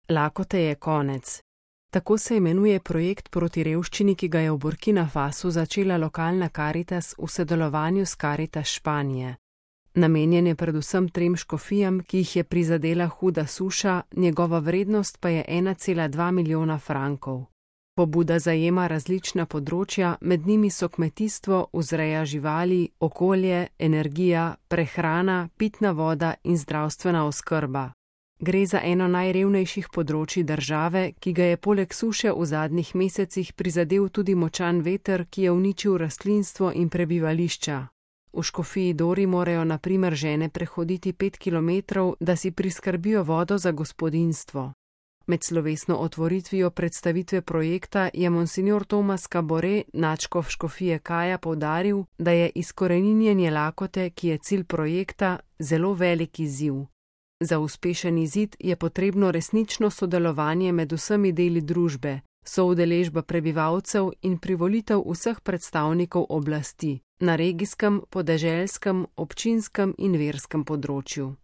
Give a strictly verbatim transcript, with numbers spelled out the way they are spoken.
Lakote je konec. Tako se imenuje projekt proti revščini, ki ga je v Burkina Fasu začela lokalna Karitas v sodelovanju s Karitas Španije. Namenjen je predvsem trem škofijam, ki jih je prizadela huda suša, njegova vrednost pa je ena cela dva milijona frankov. Pobuda zajema različna področja, med njimi so kmetijstvo, vzreja živali, okolje, energija, prehrana, pitna voda in zdravstvena oskrba. Gre za eno najrevnejših področij države, ki ga je poleg suše v zadnjih mesecih prizadel tudi močan veter, ki je uničil rastlinstvo in prebivališča. V škofiji Dori morajo na primer žene prehoditi pet kilometrov, da si priskrbijo vodo za gospodinjstvo. Med slovesno otvoritvijo predstavitve projekta je monsignor Tomas Kabore, nadškof škofije Kaja, poudaril, da je izkoreninjenje lakote, ki je cilj projekta, zelo velik izziv. Za uspešen izid je potrebno resnično sodelovanje med vsemi deli družbe, soudeležba prebivalcev in privolitev vseh predstavnikov oblasti na regijskem, podeželskem, občinskem in verskem področju.